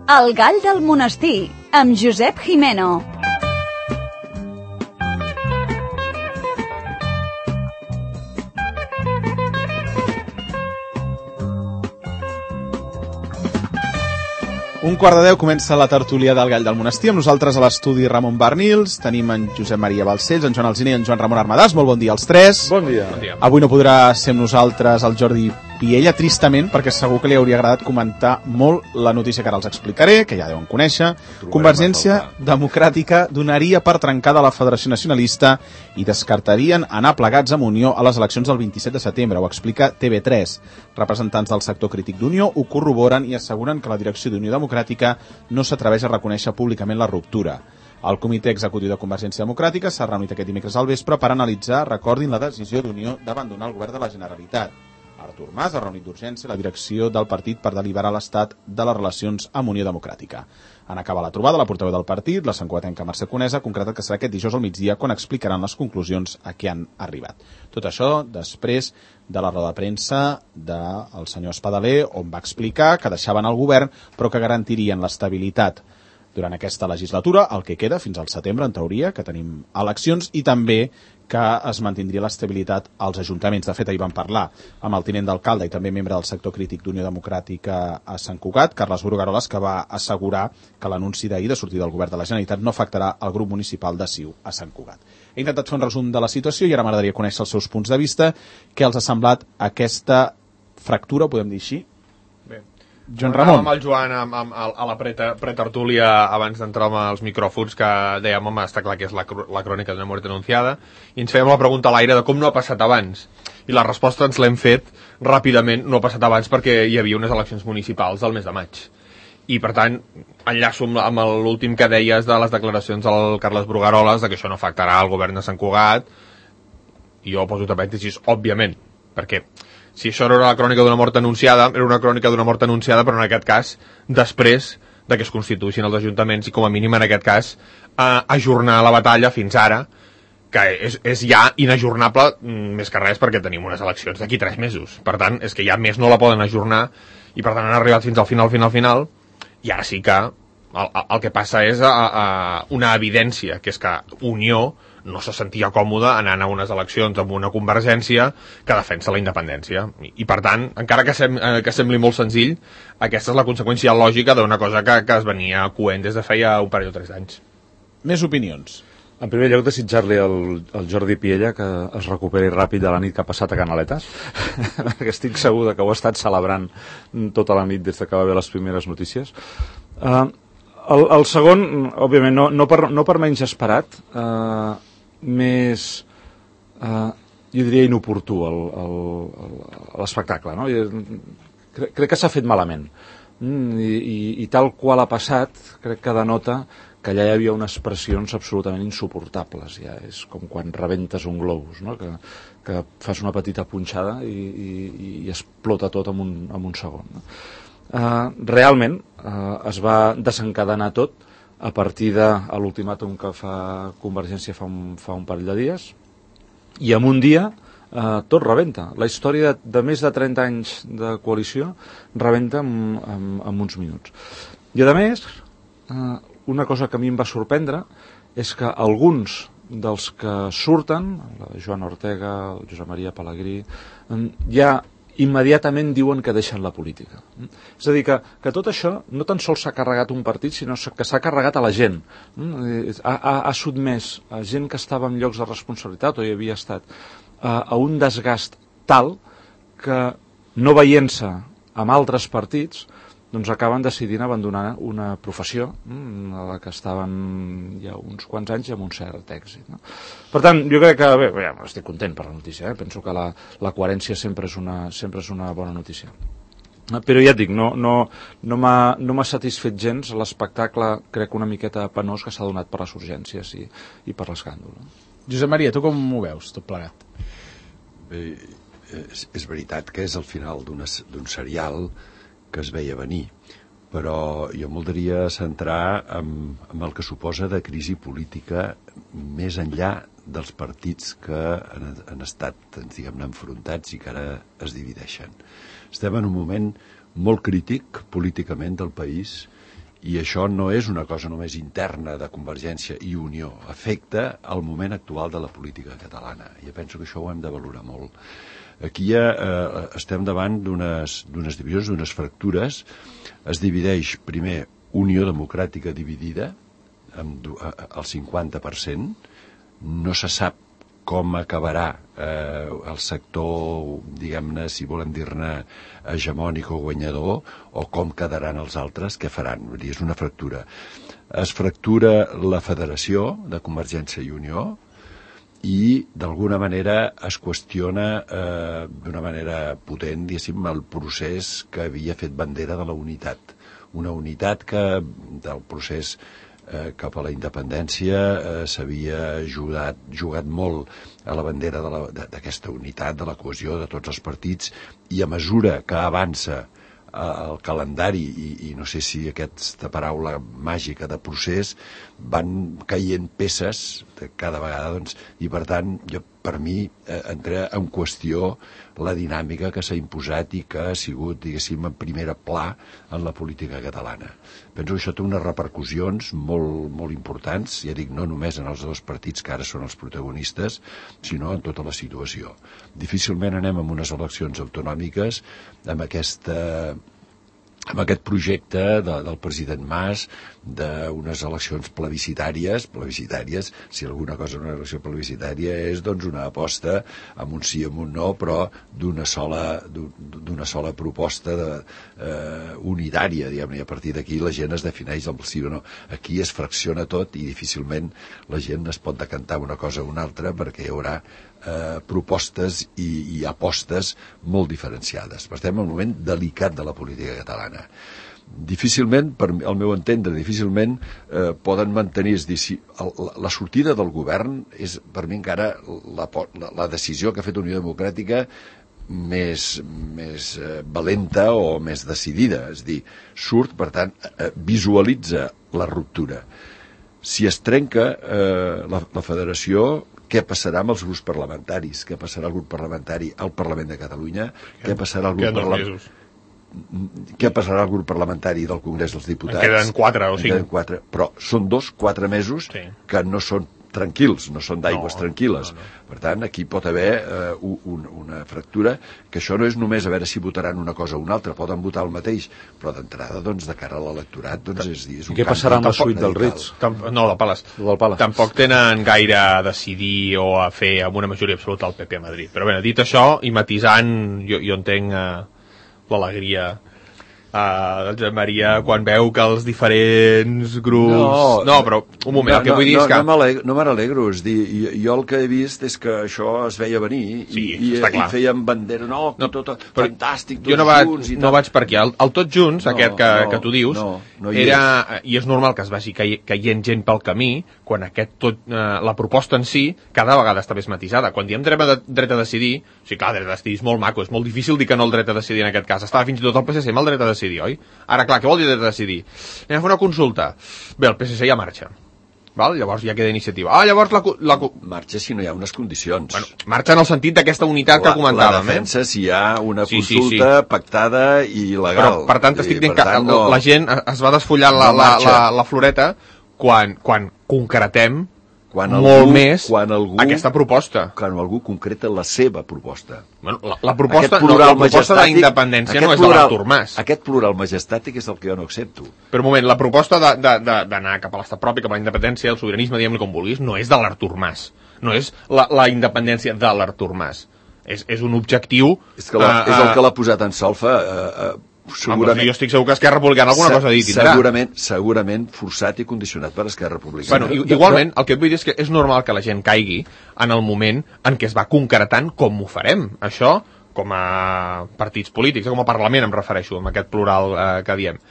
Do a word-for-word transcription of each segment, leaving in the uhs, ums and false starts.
El gall del monestir, amb Josep Jimeno. Un quart de deu comença la tertúlia del Gall del Monestir. Amb nosaltres a l'estudi Ramon Barnils, tenim en Josep Maria Balcells, en Joan Alsina i en Joan Ramon Armadàs. Molt bon dia als tres. Bon dia. Bon dia. Avui no podrà ser amb nosaltres el Jordi Piella, tristament, perquè segur que li hauria agradat comentar molt la notícia que ara els explicaré, que ja deuen conèixer. Convergència Democràtica donaria per trencada la Federació Nacionalista i descartarien anar plegats amb Unió a les eleccions del vint-i-set de setembre. Ho explica T V tres. Representants del sector crític d'Unió ho corroboren i asseguren que la direcció d'Unió Democràtica no s'atreveix a reconèixer públicament la ruptura. El comitè executiu de Convergència Democràtica s'ha reunit aquest dimecres al vespre per analitzar, recordin, la decisió d'Unió d'abandonar el govern de la Generalitat. Artur Mas ha reunit d'urgència la direcció del partit per deliberar l'estat de les relacions amb Unió Democràtica. En acabar la trobada, la portaveu del partit, la santcugatenca Mercè Conesa, ha concretat que serà aquest dijous al migdia quan explicaran les conclusions a què han arribat. Tot això després de la roda de premsa del senyor Espadaler, on va explicar que deixaven el govern però que garantirien l'estabilitat durant aquesta legislatura, el que queda fins al setembre, en teoria, que tenim eleccions, i també que es mantindria l'estabilitat als ajuntaments. De fet, ahir vam parlar amb el tinent d'alcalde i també membre del sector crític d'Unió Democràtica a Sant Cugat, Carles Brugaroles, que va assegurar que l'anunci d'ahir de sortir del govern de la Generalitat no afectarà el grup municipal de C I U a Sant Cugat. He intentat fer un resum de la situació i ara m'agradaria conèixer els seus punts de vista. Què els ha semblat aquesta fractura, podem dir així? Bé. Joan Ramon. Amb el Joan amb, amb, a la pretertúlia abans d'entrar amb els micròfons que dèiem, home, està clar que és la, la crònica d'una mort anunciada, i ens fèiem la pregunta a l'aire de com no ha passat abans, i la resposta ens l'hem fet ràpidament. No ha passat abans perquè hi havia unes eleccions municipals del mes de maig, i per tant enllaço amb, amb l'últim que deies de les declaracions del Carles Brugaroles de que això no afectarà el govern de Sant Cugat, i jo poso entre parèntesis, òbviament, perquè si això no era la crònica d'una mort anunciada, era una crònica d'una mort anunciada, però en aquest cas, després de que es constituïssin els ajuntaments i, com a mínim, en aquest cas, eh, ajornar la batalla fins ara, que és, és ja inajornable, més que res, perquè tenim unes eleccions d'aquí tres mesos. Per tant, és que ja més no la poden ajornar, i per tant han arribat fins al final, final, final, i ara sí que el, el que passa és a, a una evidència, que és que Unió no se sentia còmode anant a unes eleccions amb una Convergència que defensa la independència. I, i per tant, encara que, sem, que sembli molt senzill, aquesta és la conseqüència lògica d'una cosa que, que es venia coent des de feia un parell o tres anys. Més opinions. En primer lloc, desitjar-li al, al Jordi Piella que es recuperi ràpid de la nit que ha passat a Canaletes, perquè estic segur que ho ha estat celebrant tota la nit des que va haver les primeres notícies. Uh, el, el segon, òbviament, no, no, per, no per menys esperat, uh, més, uh, jo diria, inoportú l'espectacle, no? Crec, crec que s'ha fet malament. Mm, i, i, I tal qual ha passat, crec que denota que allà hi havia unes pressions absolutament insuportables. Ja és com quan rebentes un globus, no? que, que fas una petita punxada i, i, i explota tot en un, en un segon. No? Uh, realment uh, es va desencadenar tot a partir de l'ultimàtum que fa Convergència fa un, fa un parell de dies, i en un dia eh, tot rebenta. La història de, de més de trenta anys de coalició rebenta en, en, en uns minuts. I a més, eh, una cosa que a mi em va sorprendre és que alguns dels que surten, la Joana Ortega, el Josep Maria Pelegrí, eh, ja immediatament diuen que deixen la política. És a dir, que, que tot això no tan sols s'ha carregat un partit, sinó que s'ha carregat a la gent. Ha, ha, ha sotmès a gent que estava en llocs de responsabilitat o hi havia estat a, a un desgast tal que, no veient-se amb altres partits, doncs acaben decidint abandonar una professió a la que estaven ja uns quants anys i amb un cert èxit. No? Per tant, jo crec que, bé, ja, estic content per la notícia, eh? Penso que la, la coherència sempre és, una, sempre és una bona notícia. Però ja et dic, no, no, no m'ha no satisfet gens l'espectacle, crec, una miqueta penós que s'ha donat per les urgències i, i per l'escàndol. Josep Maria, tu com ho veus, tot plegat? Bé, és, és veritat que és el final d'un serial que es veia venir, però jo m'oldria centrar en, en el que suposa de crisi política més enllà dels partits que han, han estat, diguem-ne, enfrontats i que ara es divideixen. Estem en un moment molt crític políticament del país I això no és una cosa només interna de Convergència i Unió, afecta el moment actual de la política catalana. Jo penso que això ho hem de valorar molt. Aquí ja eh, estem davant d'unes d'unes divisions, d'unes fractures. Es divideix primer Unió Democràtica dividida, amb el cinquanta per cent, no se sap com acabarà eh, el sector, diguem-ne, si volem dir-ne hegemònic o guanyador, o com quedaran els altres, què faran. Vull dir, és una fractura. Es fractura la federació de Convergència i Unió i, d'alguna manera, es qüestiona eh, d'una manera potent, diguéssim, el procés que havia fet bandera de la unitat. Una unitat que, del procés Eh, cap a la independència eh, s'havia jugat, jugat molt a la bandera d'aquesta unitat, de la cohesió de tots els partits, i a mesura que avança eh, el calendari i, i no sé si aquesta paraula màgica de procés, van caient peces de cada vegada, doncs, i per tant jo, per mi eh, entra en qüestió la dinàmica que s'ha imposat i que ha sigut, diguéssim, en primera pla en la política catalana. Penso que això té unes repercussions molt, molt importants, ja dic, no només en els dos partits que ara són els protagonistes, sinó en tota la situació. Difícilment anem amb unes eleccions autonòmiques amb aquesta... amb aquest projecte de, del president Mas d'unes eleccions plebiscitàries, plebiscitàries, si alguna cosa una elecció plebiscitària és doncs una aposta amb un sí, amb un no, però d'una sola, d'una sola proposta de, eh, unitària, diguem-ne, i a partir d'aquí la gent es defineix el sí o no. Aquí es fracciona tot i difícilment la gent es pot decantar una cosa o una altra perquè hi haurà eh, propostes i, i apostes molt diferenciades. Estem en un moment delicat de la política catalana. Difícilment, per al meu entendre, difícilment eh, poden mantenir, és dir, si el, la, la sortida del govern és per mi encara la, la, la decisió que ha fet Unió Democràtica més, més eh, valenta o més decidida, és dir, surt, per tant, eh, visualitza la ruptura. Si es trenca eh, la, la federació, què passarà amb els grups parlamentaris? Què passarà al grup parlamentari al Parlament de Catalunya? Què passarà al grup parlamentari? Què passarà al grup parlamentari del Congrés dels Diputats? En queden quatre o cinc. En queden quatre, però són dos, quatre mesos sí. que no són tranquils, no són d'aigües no, tranquil·les. No, no. Per tant, aquí pot haver eh, un, una fractura, que això no és només a veure si votaran una cosa o una altra, poden votar el mateix, però d'entrada, doncs, de cara a l'electorat, doncs, és, és un què passarà amb la suite del Ritz? No, del Palace. del Palace. Tampoc tenen gaire a decidir o a fer amb una majoria absoluta al P P a Madrid. Però bé, dit això, i matisant, jo, jo entenc eh, l'alegria Uh, del Josep Maria quan veu que els diferents grups... No, no però un moment, no, el que vull dir no, és que... No me n'alegro, és dir, jo, jo el que he vist és que això es veia venir sí, i, i, i feien bandera, no, no tot, fantàstic, tots jo no vaig, junts i no vaig per aquí, el, el tots junts, no, aquest que, no, que tu dius, no, no hi era, és. I és normal que es vagi caient gent pel camí, quan aquest tot, eh, la proposta en si cada vegada està més matisada. Quan diem dret a, dret a decidir, sí, clar, dret a decidir és molt maco, és molt difícil dir que no el dret a decidir en aquest cas. Estava fins i tot el P S C amb el dret a decidir, oi? Ara, clar, què vol dir dret a decidir? Anem a fer una consulta. Bé, el P S C ja marxa. Val? Llavors ja queda iniciativa. Ah, llavors la... la... Marxa si no hi ha unes condicions. Bueno, marxa en el sentit d'aquesta unitat la, que comentàvem. La defensa eh? si hi ha una sí, consulta sí, sí. pactada i legal. Però, per tant, estic dient que no, la gent es va desfollant la, no la, la, la floreta quan, quan concretem quan algú, molt més quan algú, aquesta proposta. Quan algú concreta la seva proposta. Bueno, la, la proposta, no, la proposta d'independència no és de l'Artur Mas. Aquest plural majestàtic és el que jo no accepto. Però un moment, la proposta d'anar cap a l'estat propi, cap a la independència, el sobiranisme, diguem-li com vulguis, no és de l'Artur Mas. No és la, la independència de l'Artur Mas. És, és un objectiu... És, que la, uh, és el que l'ha posat en solfa... Uh, uh, segurament, jo estic segur que Esquerra Republicana alguna cosa a dir tindrà. Segurament, segurament forçat i condicionat per Esquerra Republicana. Bueno, igualment, el que et vull dir és que és normal que la gent caigui en el moment en què es va concretant com ho farem. Això, com a partits polítics, com a Parlament em refereixo, amb aquest plural eh, que diem.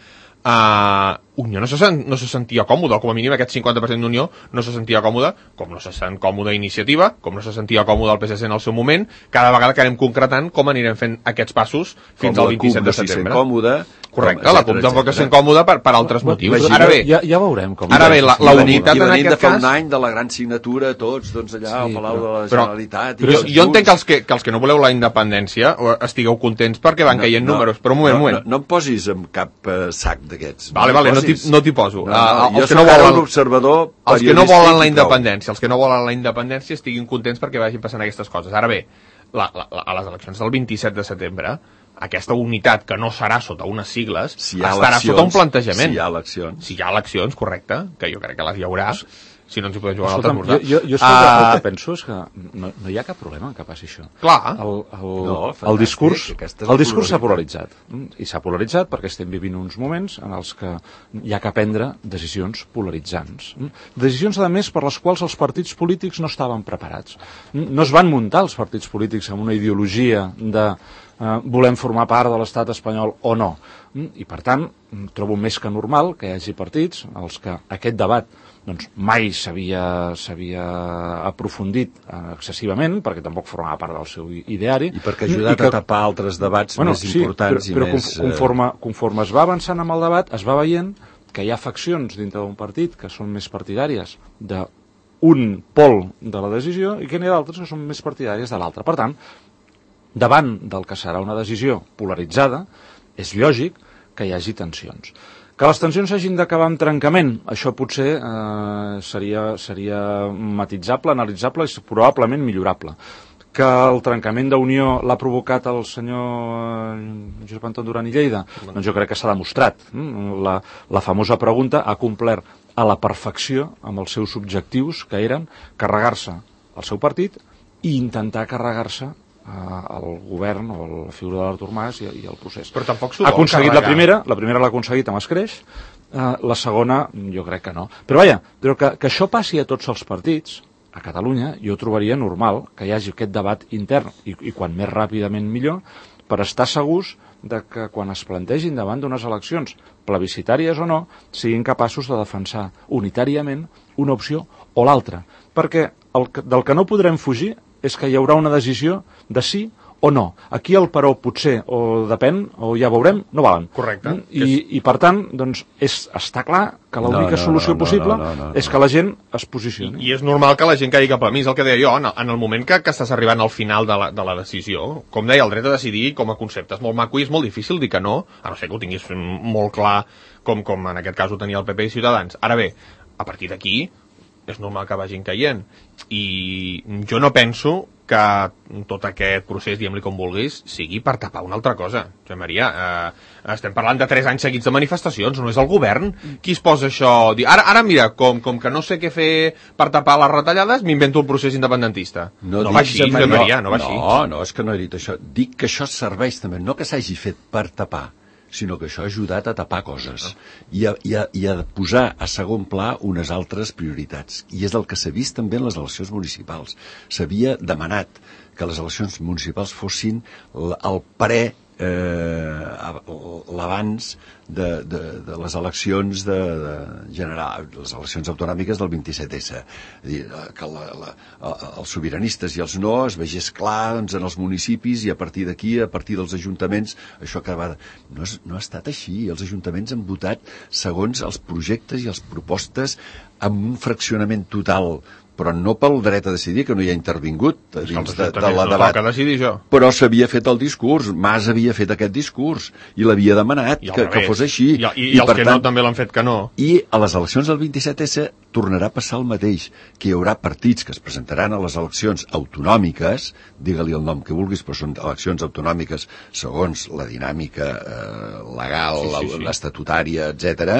Uh, Unió no se, sent, no se sentia còmode, com a mínim aquest cinquanta per cent d'Unió no se sentia còmode, com no se sent còmode Iniciativa, com no se sentia còmode el P S C en el seu moment. Cada vegada que anem concretant com anirem fent aquests passos fins com al vint-i-set de setembre. Còmode, correcte, com, la CUP tampoc es sent còmode per, per altres bueno, motius. Ara bé, ja, ja veurem com ara bé, la, la unitat en aquest de fa cas... un any de la gran signatura, tots, doncs allà sí, al Palau però, de la Generalitat... Però, però jo entenc que els que, que els que no voleu la independència estigueu contents perquè van no, caient no, números, però un moment, no, un moment. No, no em posis en cap uh, sac d'aquests. Vale, vale, no no t'hi poso. No, no, uh, jo soc ara un observador els que no periodístic volen la i prou. independència, els que no volen la independència estiguin contents perquè vagin passant aquestes coses. Ara bé, la, la, la, a les eleccions del vint-i-set de setembre, aquesta unitat que no serà sota unes sigles si estarà sota un plantejament. Si hi ha eleccions. Si hi ha eleccions, correcte, que jo crec que les hi haurà. Si no ens hi podem jugar Escolta'm, a l'altre jo, jo, jo és que uh, el que penso és que no, no hi ha cap problema en que passi això. Clar. El, el, No, el discurs, fantàstic, el discurs s'ha polaritzat. I s'ha polaritzat perquè estem vivint uns moments en els que hi ha que prendre decisions polaritzants. Decisions, a més, per les quals els partits polítics no estaven preparats. No es van muntar els partits polítics amb una ideologia de eh, volem formar part de l'estat espanyol o no. I, per tant, trobo més que normal que hi hagi partits als que aquest debat doncs mai s'havia s'havia aprofundit eh, excessivament, perquè tampoc formava part del seu ideari. I perquè ha ajudat I que, a tapar altres debats bueno, més sí, importants però, però i més... conforme, conforme es va avançant amb el debat, es va veient que hi ha faccions dintre d'un partit que són més partidàries d'un pol de la decisió i que n'hi ha d'altres que són més partidàries de l'altre. Per tant, davant del que serà una decisió polaritzada, és lògic que hi hagi tensions. Que les tensions hagin d'acabar amb trencament, això potser eh, seria, seria matitzable, analitzable i probablement millorable. Que el trencament d'unió l'ha provocat el senyor Josep Anton Duran i Lleida, doncs jo crec que s'ha demostrat. La, la famosa pregunta ha complert a la perfecció amb els seus objectius, que eren carregar-se el seu partit i intentar carregar-se al govern o a la figura de l'Artur Mas i, i el procés. Però tampoc s'ho ha vol aconseguit carregar. la primera, la primera l'ha aconseguit amb escreix, eh, la segona jo crec que no. Però vaja, però que, que això passi a tots els partits, a Catalunya, jo trobaria normal que hi hagi aquest debat intern, i, i quan més ràpidament millor, per estar segurs de que quan es plantegin davant d'unes eleccions plebiscitàries o no, siguin capaços de defensar unitàriament una opció o l'altra. Perquè el, del que no podrem fugir és que hi haurà una decisió de sí o no. Aquí el però potser, o depèn, o ja veurem, no valen. Correcte. I, és... i per tant, doncs, és, està clar que l'única no, no, solució no, no, possible no, no, no, no. és que la gent es posicioni. I és normal que la gent caigui cap a mi, és el que deia jo, en el, en el moment que, que estàs arribant al final de la, de la decisió, com deia, el dret a decidir com a concepte és molt maco i és molt difícil dir que no, a no ser que ho tinguis molt clar, com, com en aquest cas ho tenia el P P i Ciutadans. Ara bé, a partir d'aquí, és normal que vagin caient. I jo no penso que tot aquest procés, diguem-li com vulguis, sigui per tapar una altra cosa. Josep Maria, eh, estem parlant de tres anys seguits de manifestacions, no és el govern qui es posa això... Ara, ara mira, com, com que no sé què fer per tapar les retallades, m'invento el procés independentista. No, no va així, Josep Maria, no va així. No, no, és que no he dit això. Dic que això serveix també, no que s'hagi fet per tapar, sinó que això ha ajudat a tapar coses i a, i, a, i a posar a segon pla unes altres prioritats. I és el que s'ha vist també en les eleccions municipals. S'havia demanat que les eleccions municipals fossin el pre eh, l'abans de, de, de les eleccions de, de general, les eleccions autonòmiques del vint-i-set essa. És dir, que la, la, els sobiranistes i els no es vegés clar doncs, en els municipis i a partir d'aquí, a partir dels ajuntaments, això que va... No, és, no ha estat així. Els ajuntaments han votat segons els projectes i les propostes amb un fraccionament total, però no pel dret a decidir, que no hi ha intervingut a dins de, de la debat. No decidir jo. Però s'havia fet el discurs, Mas havia fet aquest discurs, i l'havia demanat que, que fos així. I, i, i, I els que tant, no també l'han fet que no. I a les eleccions del vint-i-set essa tornarà a passar el mateix, que hi haurà partits que es presentaran a les eleccions autonòmiques, digue-li el nom que vulguis, però són eleccions autonòmiques segons la dinàmica eh, legal, sí, sí, sí. l'estatutària, etcètera,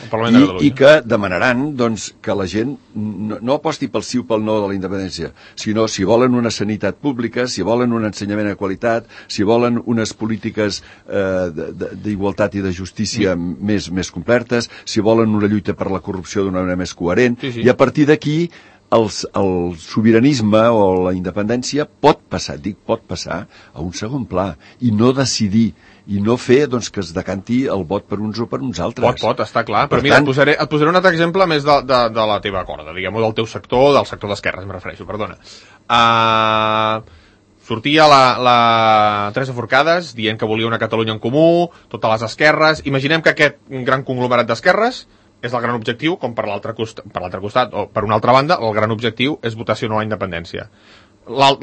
i, i que demanaran doncs, que la gent no, no aposti pel sí o pel no de la independència, sinó si volen una sanitat pública, si volen un ensenyament de qualitat, si volen unes polítiques eh, d'igualtat i de justícia mm. més, més complertes, si volen una lluita per la corrupció d'una manera més coherent, sí, sí. I a partir d'aquí el, el sobiranisme o la independència pot passar, dic pot passar, a un segon pla, i no decidir i no fer doncs, que es decanti el vot per uns o per uns altres. Pot, pot, està clar. Per Però mira, tant... et, posaré, et posaré un altre exemple més de, de, de la teva corda, diguem-ho, del teu sector, del sector d'esquerres, em refereixo, perdona. Uh, sortia la, la Teresa Forcades dient que volia una Catalunya en comú, totes les esquerres. Imaginem que aquest gran conglomerat d'esquerres és el gran objectiu, com per l'altre costat, per l'altre costat, o per una altra banda, el gran objectiu és votació no a la independència.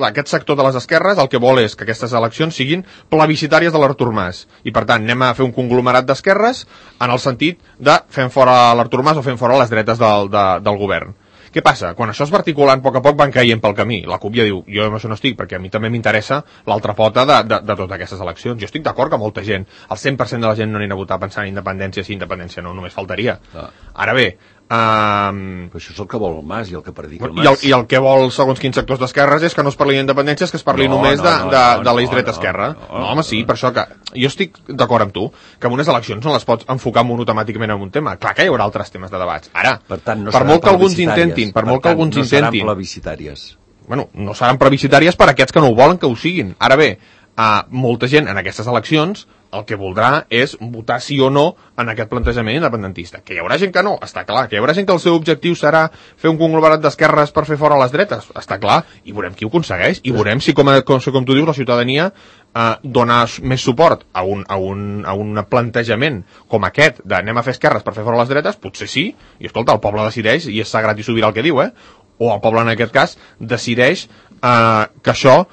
aquest sector de les esquerres el que vol és que aquestes eleccions siguin plebiscitàries de l'Artur Mas. I, per tant, anem a fer un conglomerat d'esquerres en el sentit de fem fora l'Artur Mas o fem fora les dretes del, de, del govern. Què passa? Quan això es va articulant a poc a poc van caient pel camí. La CUP ja diu, jo amb això no estic, perquè a mi també m'interessa l'altra pota de, de, de totes aquestes eleccions. Jo estic d'acord que molta gent, el cent per cent de la gent no anirà a votar pensant en independència, sí, independència no, només faltaria. Ah. Ara bé, Um, però això és el que vol el Mas i el que predica el Mas. I el, i el que vol, segons quins sectors d'esquerres, és que no es parli d'independència, és que es parli no, només no, de, no, de, no, de la dreta no, esquerra. No, no, no, home, sí, per això que... Jo estic d'acord amb tu, que en unes eleccions no les pots enfocar monotemàticament en un tema. Clar que hi haurà altres temes de debats. Ara, per, tant, no per molt que alguns intentin, per, per molt que alguns no intentin... seran plebiscitàries. Bueno, no seran plebiscitàries per aquests que no ho volen que ho siguin. Ara bé, uh, molta gent en aquestes eleccions el que voldrà és votar sí o no en aquest plantejament independentista. Que hi haurà gent que no, està clar. Que hi haurà gent que el seu objectiu serà fer un conglomerat d'esquerres per fer fora les dretes, està clar. I veurem qui ho aconsegueix. I veurem si, com, com, com tu dius, la ciutadania eh, dona més suport a un, a, un, a un plantejament com aquest d'anem a fer esquerres per fer fora les dretes, potser sí. I escolta, el poble decideix, i és sagrat i sobirà el que diu, eh? O el poble, en aquest cas, decideix Uh, que això,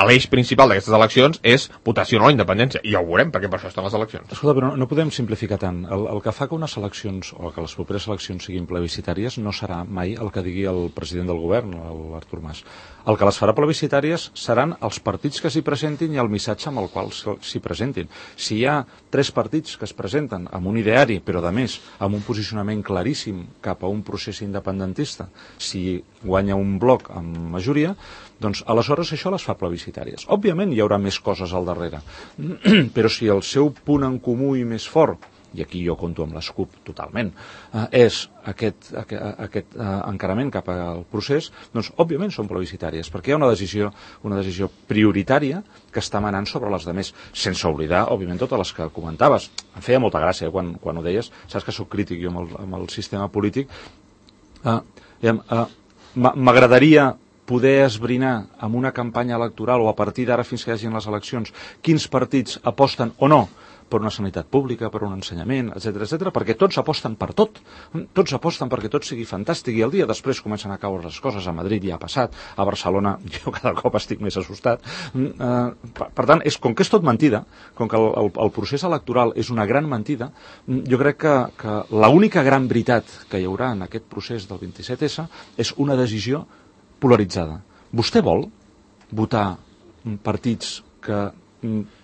l'eix principal d'aquestes eleccions és votació no a la independència, i ja ho veurem, perquè per això estan les eleccions. Escolta, però no, no podem simplificar tant. El, el que fa que unes eleccions, o que les properes eleccions siguin plebiscitàries, no serà mai el que digui el president del govern, l'Artur Mas. El que les farà plebiscitàries seran els partits que s'hi presentin i el missatge amb el qual s'hi presentin. Si hi ha tres partits que es presenten amb un ideari, però a més amb un posicionament claríssim cap a un procés independentista, si guanya un bloc amb majoria, doncs aleshores això les fa plebiscitàries. Òbviament hi haurà més coses al darrere, però si el seu punt en comú i més fort, i aquí jo conto amb les CUP totalment, eh, és aquest, aquest, aquest eh, encarament cap al procés, doncs òbviament són plebiscitàries, perquè hi ha una decisió, una decisió prioritària que està manant sobre les demés, sense oblidar, òbviament, totes les que comentaves. Em feia molta gràcia quan, quan ho deies, saps que sóc crític jo amb el, amb el sistema polític. Eh, eh, m'agradaria poder esbrinar amb una campanya electoral o a partir d'ara fins que hi hagin les eleccions quins partits aposten o no per una sanitat pública, per un ensenyament, etcètera, etcètera, perquè tots aposten per tot. Tots aposten perquè tot sigui fantàstic i el dia després comencen a caure les coses. A Madrid ja ha passat, a Barcelona jo cada cop estic més assustat. Per tant, és, com que és tot mentida, com que el, el, el procés electoral és una gran mentida, jo crec que, que l'única gran veritat que hi haurà en aquest procés del vint-i-set essa és una decisió polaritzada. Vostè vol votar partits que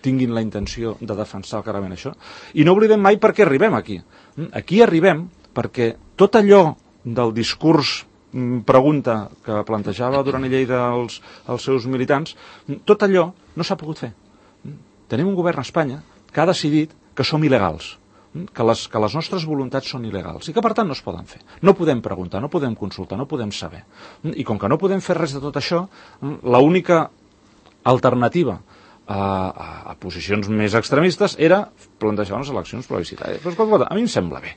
tinguin la intenció de defensar clarament això? I no oblidem mai per què arribem aquí. Aquí arribem perquè tot allò del discurs pregunta que plantejava Duran i Lleida als, als seus militants, tot allò no s'ha pogut fer. Tenim un govern a Espanya que ha decidit que som il·legals, que les, que les nostres voluntats són il·legals i que per tant no es poden fer. No podem preguntar, no podem consultar, no podem saber. I com que no podem fer res de tot això, l'única alternativa a, a, a posicions més extremistes era plantejar unes eleccions plebiscitàries. Però, a mi em sembla bé.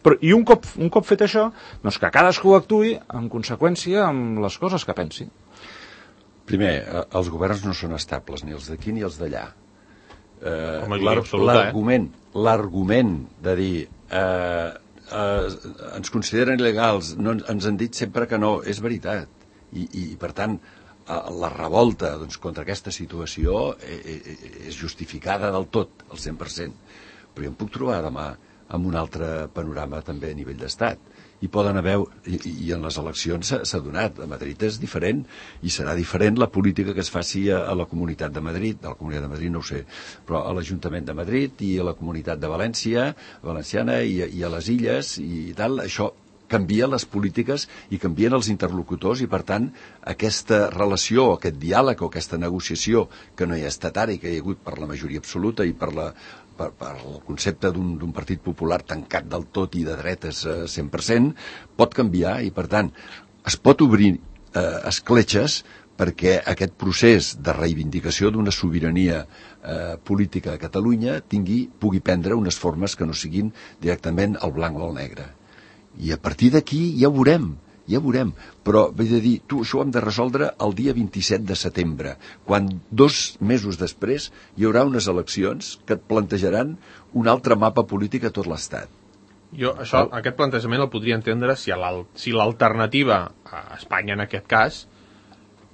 Però, I un cop, un cop fet això, doncs que cadascú actuï en conseqüència amb les coses que pensi. Primer, els governs no són estables, ni els d'aquí ni els d'allà. Eh, l'argument eh, l'argument de dir eh, eh, ens consideren il·legals, no, ens han dit sempre que no, és veritat. I, i per tant, la revolta doncs, contra aquesta situació és justificada del tot, al cent per cent. Però jo em puc trobar demà amb un altre panorama també a nivell d'estat. I poden haver, i, i en les eleccions s'ha donat, a Madrid és diferent, i serà diferent la política que es faci a, a la Comunitat de Madrid, a la Comunitat de Madrid no ho sé, però a l'Ajuntament de Madrid i a la Comunitat de València, valenciana i, i a les Illes i tal, això canvia les polítiques i canvien els interlocutors i, per tant, aquesta relació, aquest diàleg o aquesta negociació que no hi ha estat ara i que hi ha hagut per la majoria absoluta i per, la, per, per el concepte d'un partit popular tancat del tot i de dretes eh, cent per cent, pot canviar i, per tant, es pot obrir eh, escletxes perquè aquest procés de reivindicació d'una sobirania eh, política a Catalunya tingui, pugui prendre unes formes que no siguin directament el blanc o el negre. I a partir d'aquí ja ho veurem, ja ho veurem. Però, vull dir, tu, això ho hem de resoldre el dia vint-i-set de setembre, quan dos mesos després hi haurà unes eleccions que et plantejaran un altre mapa polític a tot l'Estat. Jo això, oh. aquest plantejament el podria entendre si l'alternativa a Espanya, en aquest cas,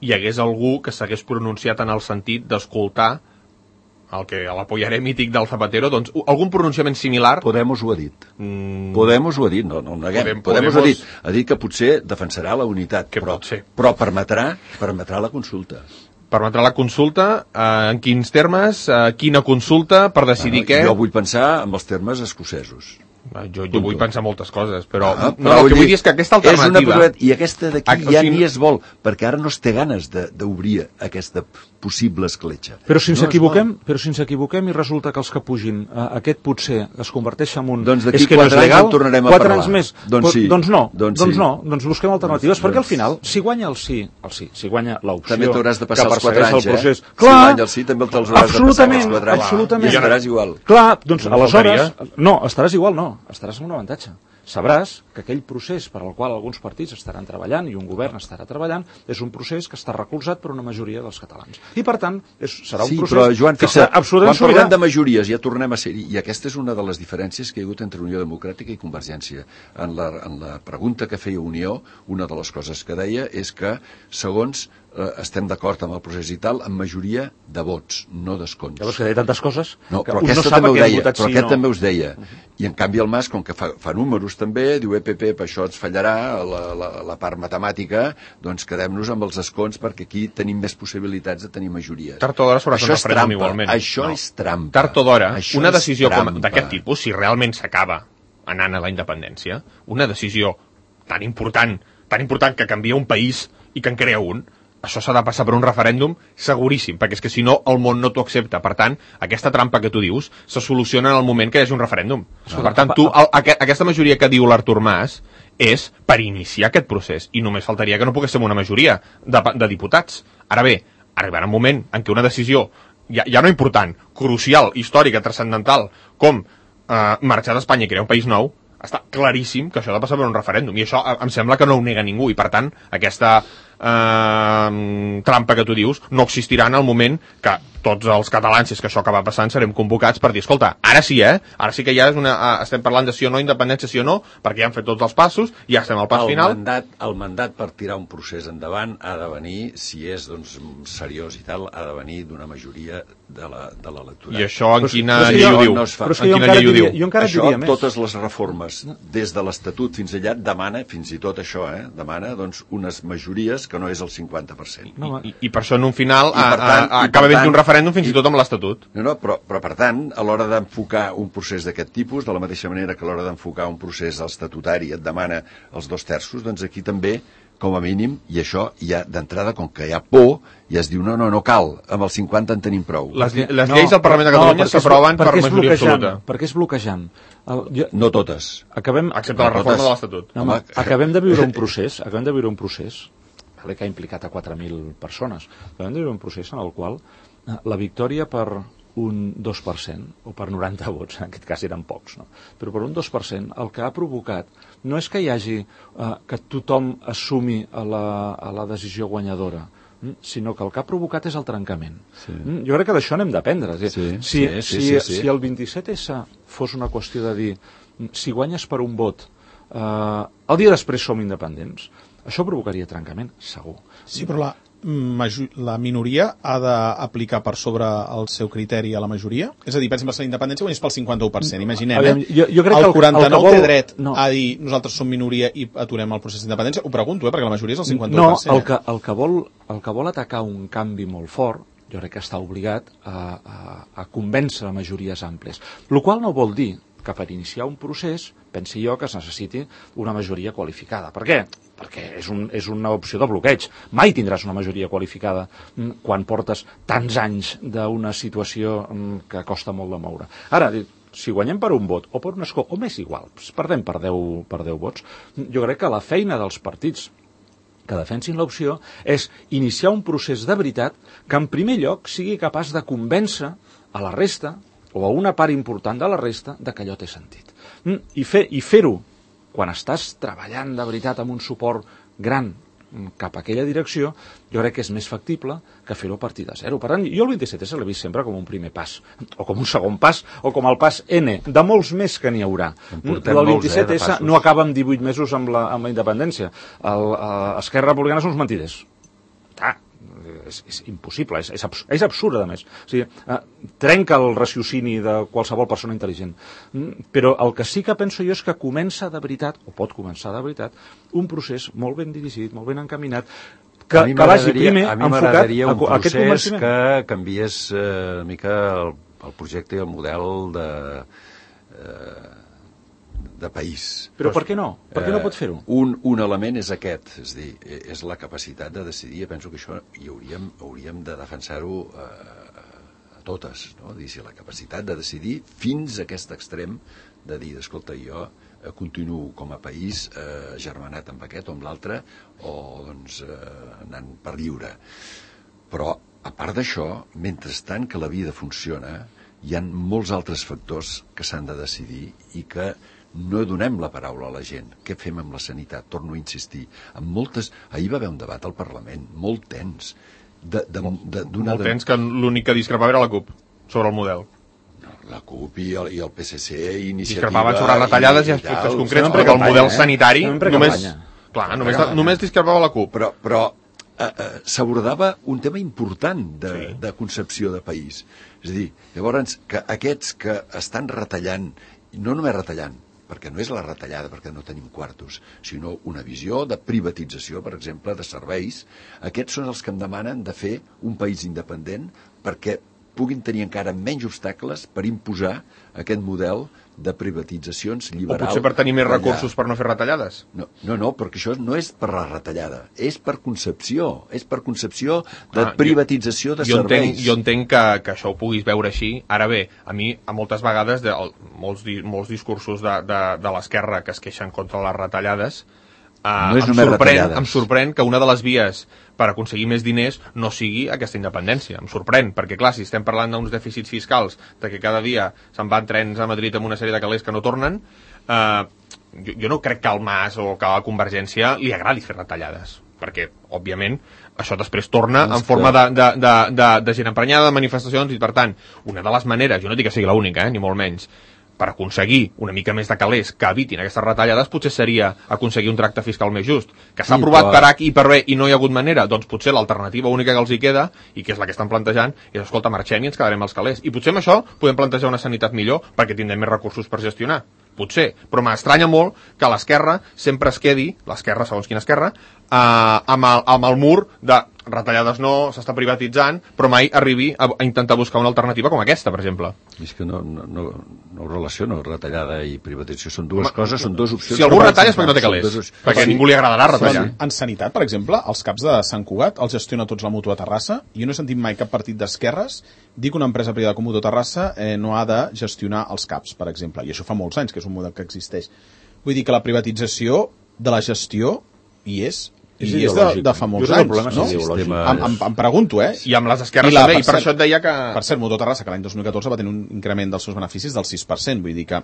hi hagués algú que s'hagués pronunciat en el sentit d'escoltar el que l'apoyaré mític del Zapatero, doncs algun pronunciament similar... Podemos ho ha dit. Mm. Podemos ho ha dit, no, no ho neguem. Podem, Podemos, Podemos ho ha dit. Ha dit que potser defensarà la unitat, que però, pot ser. però permetrà, permetrà la consulta. Permetrà la consulta, eh, en quins termes, eh, quina consulta, per decidir Bueno, què... Jo vull pensar en els termes escocesos. Jo, jo vull pensar moltes coses, però, Ah, no, el que vull dir és que aquesta alternativa... És una, I aquesta d'aquí Ah, ja o sigui, ni es vol, perquè ara no es té ganes d'obrir aquesta possible escletxa. Però si ens no equivoquem, però si ens equivoquem i resulta que els que pugin eh, aquest potser es converteix en un... Doncs d'aquí és que no és quatre anys legal, en tornarem a quatre parlar. anys més. Doncs sí. Doncs no, Doncs doncs sí. no, doncs busquem alternatives, Doncs- perquè al doncs- final, si guanya el sí, el sí, si guanya l'opció... També t'hauràs de passar que els quatre persegueix anys, el procés, eh? Clar, Si guanya el sí, també te'ls hauràs de passar absolutament, els quatre anys. absolutament. I estaràs igual. Clar, doncs No aleshores... No, estaràs igual, no, estaràs amb un avantatge. Sabràs que aquell procés per al qual alguns partits estaran treballant i un govern estarà treballant és un procés que està recolzat per una majoria dels catalans. I, per tant, és, serà un Sí, procés però, Joan, que fixa, serà absolutament quan sobirà. parlem de majories ja tornem a ser-hi, i aquesta és una de les diferències que hi ha hagut entre Unió Democràtica i Convergència. En la, en la pregunta que feia Unió, una de les coses que deia és que, segons eh, estem d'acord amb el procés i tal, amb majoria de vots, no d'escons. Llavors que deia tantes coses No, que però un aquesta no sap també a ho què han deia, votat però sí aquest no. també us deia. I en canvi el Mas, com que fa, fa números també, diu, eh, Pepe, per això ens fallarà la, la, la part matemàtica, doncs quedem-nos amb els escons perquè aquí tenim més possibilitats de tenir majories. Tard o d'hora s'haurà Això fet un és referèndum trampa, igualment. això No. és trampa. Tard o d'hora, Això una és decisió com trampa. d'aquest tipus, si realment s'acaba anant a la independència, una decisió tan important, tan important que canvia un país i que en crea un, això s'ha de passar per un referèndum seguríssim, perquè és que si no el món no t'ho accepta. Per tant, aquesta trampa que tu dius se soluciona en el moment que hi hagi un referèndum. Ah. Per tant, tu, el, aqu aquesta majoria que diu l'Artur Mas és per iniciar aquest procés, i només faltaria que no pogués ser una majoria de, de diputats. Ara bé, arribarà un moment en què una decisió ja, ja no important, crucial, històrica, transcendental, com eh, marxar d'Espanya i crear un país nou, està claríssim que això ha de passar per un referèndum, i això em sembla que no ho nega ningú, i per tant aquesta eh, trampa que tu dius no existirà en el moment que tots els catalans, si és que això acaba passant, serem convocats per dir, escolta, ara sí, eh? Ara sí que ja és una, uh, estem parlant de sí o no, independència sí o no, perquè ja han fet tots els passos, ja estem al pas el final. Mandat, el mandat per tirar un procés endavant ha de venir, si és doncs, seriós i tal, ha de venir d'una majoria de l'electorat. I això en quina però és que llei jo- ho diu? no es fa. Però és que En jo quina encara llei ho diria, diu? jo encara Això, diria més. totes les reformes, des de l'Estatut fins allà, demana, fins i tot això, eh, demana doncs, unes majories que no és el cinquanta per cent. No, I, I per això en un final I per a, tant- a, a, i per acaba havent tant- un referèndum fins i tot amb l'Estatut. No, no, però, però per tant, a l'hora d'enfocar un procés d'aquest tipus, de la mateixa manera que a l'hora d'enfocar un procés estatutari et demana els dos terços, doncs aquí també, com a mínim, i això ja d'entrada, com que hi ha por, ja es diu, no, no, no cal, amb el cinquanta en tenim prou. Les, les lleis al Parlament de Catalunya perquè és- s'aproven per perquè és majoria bloquejant, absoluta. Perquè és bloquejant. El, jo, No totes. acabem, Excepte la No, reforma totes. de l'Estatut. no, home, Home, acabem de viure un procés, acabem de viure un procés vale, que ha implicat a quatre mil persones. Acabem de viure un procés en el qual eh, la victòria per un dos per cent, o per noranta vots, en aquest cas eren pocs, no? Però per un dos per cent el que ha provocat no és que hi hagi eh, que tothom assumi a la, a la decisió guanyadora, mm, sinó que el que ha provocat és el trencament. Sí. Mm, Jo crec que d'això n'hem d'aprendre. És a dir, Sí, si, sí, sí, si, sí, sí. si el vint-i-set essa fos una qüestió de dir mm, si guanyes per un vot, eh, el dia després som independents, això provocaria trencament, segur. Sí, però la, maju- la minoria ha d'aplicar per sobre el seu criteri a la majoria? És a dir, per exemple, si la independència guanyés pel cinquanta-u per cent, imaginem, Aviam, eh? jo- jo crec que el el- quaranta-nou el que vol- té dret no. a dir nosaltres som minoria i aturem el procés d'independència? Ho pregunto, eh? Perquè la majoria és el cinquanta-u No, per cent. el que, el, que vol, el que vol atacar un canvi molt fort, jo crec que està obligat a, a, a convèncer majories àmplies. El qual no vol dir que per iniciar un procés, pensi jo que es necessiti una majoria qualificada. Per què? Perquè és, un, és una opció de bloqueig. Mai tindràs una majoria qualificada mm, quan portes tants anys d'una situació mm, que costa molt de moure. Ara, si guanyem per un vot o per un escó, o més igual, perdem per deu, per deu vots, jo crec que la feina dels partits que defensin l'opció és iniciar un procés de veritat que en primer lloc sigui capaç de convèncer a la resta o a una part important de la resta de que allò té sentit. Mm, I fer, i fer-ho quan estàs treballant de veritat amb un suport gran cap a aquella direcció, jo crec que és més factible que fer-ho a partir de zero. Per tant, jo el vint-i-set essa l'he vist sempre com un primer pas, o com un segon pas, o com el pas N, de molts més que n'hi haurà. portem El molts, vint-i-set eh, de essa passos. no acaba amb divuit mesos amb la, amb la independència. El, uh, Esquerra Republicana són uns mentiders. Ah, és, és impossible, és, és, abs és absurd, a més. O sigui, eh, trenca el raciocini de qualsevol persona intel·ligent. Mm, però el que sí que penso jo és que comença de veritat, o pot començar de veritat, un procés molt ben dirigit, molt ben encaminat, que, que vagi primer a mi enfocat un a, a aquest convenciment. Que canviés eh, una mica el, el projecte i el model de, eh, de país. Però per què no? Per què no pot fer-ho? Eh, un, un element és aquest, és dir, és la capacitat de decidir. Penso que això hi hauríem, hauríem de defensar-ho eh, a totes, no? Dir, si la capacitat de decidir fins a aquest extrem de dir, escolta, jo eh, continuo com a país eh, germanat amb aquest o amb l'altre, o doncs eh, anant per lliure. Però, a part d'això, mentrestant que la vida funciona, hi ha molts altres factors que s'han de decidir i que no donem la paraula a la gent. Què fem amb la sanitat? Torno a insistir. Amb moltes... Ahir va haver un debat al Parlament, molt tens. De, de, de, molt tens, que l'únic que discrepava era la CUP sobre el model. La CUP i el, i el P S C i Iniciativa... Discrepaven sobre retallades i, i aspectes concrets, perquè el model sanitari només... Clar, només, només discrepava la CUP. Però, però eh, eh, s'abordava un tema important de, sí. de concepció de país. És a dir, llavors, que aquests que estan retallant, no només retallant, perquè no és la retallada perquè no tenim quartos, sinó una visió de privatització, per exemple, de serveis, aquests són els que em demanen de fer un país independent perquè puguin tenir encara menys obstacles per imposar aquest model de privatitzacions liberal. O potser per tenir més recursos per no fer retallades. No, no, no, perquè això no és per la retallada, és per concepció, és per concepció de ah, privatització de jo serveis. Entenc, jo entenc que, que això ho puguis veure així. Ara bé, a mi, a moltes vegades, de, molts, molts discursos de, de, de l'esquerra que es queixen contra les retallades, eh, no és em, només sorprèn, retallades. em sorprèn que una de les vies per aconseguir més diners no sigui aquesta independència. Em sorprèn, perquè clar, si estem parlant d'uns dèficits fiscals, de que cada dia se'n van trens a Madrid amb una sèrie de calés que no tornen, eh, jo, jo no crec que al Mas o que a la Convergència li agradi fer retallades, perquè, òbviament, això després torna en forma de, de, de, de, de gent emprenyada, de manifestacions, i per tant, una de les maneres, jo no dic que sigui l'única, eh, ni molt menys, per aconseguir una mica més de calés que evitin aquestes retallades, potser seria aconseguir un tracte fiscal més just. Que s'ha aprovat per H i per B i no hi ha hagut manera, doncs potser l'alternativa única que els hi queda, i que és la que estan plantejant, és, escolta, marxem i ens quedarem als calés. I potser amb això podem plantejar una sanitat millor perquè tindrem més recursos per gestionar. Potser. Però m'estranya molt que l'esquerra sempre es quedi, l'esquerra, segons quina esquerra, eh, amb, el, amb el mur de retallades no, s'està privatitzant, però mai arribi a, a intentar buscar una alternativa com aquesta, per exemple. És que no, no, no, no ho relaciono, retallada i privatització. Són dues Home, coses, són dues opcions. Si algú retalla és perquè no té calés, dos... perquè sí. a ningú li agradarà retallar. Sí. En sanitat, per exemple, els CAPs de Sant Cugat els gestiona tots la Mútua Terrassa. Jo no he sentit mai cap partit d'esquerres dir que una empresa privada com Mútua Terrassa eh, no ha de gestionar els CAPs, per exemple. I això fa molts anys que és un model que existeix. Vull dir que la privatització de la gestió hi és, i és, és de, de fa molts anys, no? Em, em, em pregunto, eh? I amb les esquerres I la, també, i per cert, això et deia que... Per cert, Mútua Terrassa, que l'any dos mil catorze va tenir un increment dels seus beneficis del sis per cent, vull dir que...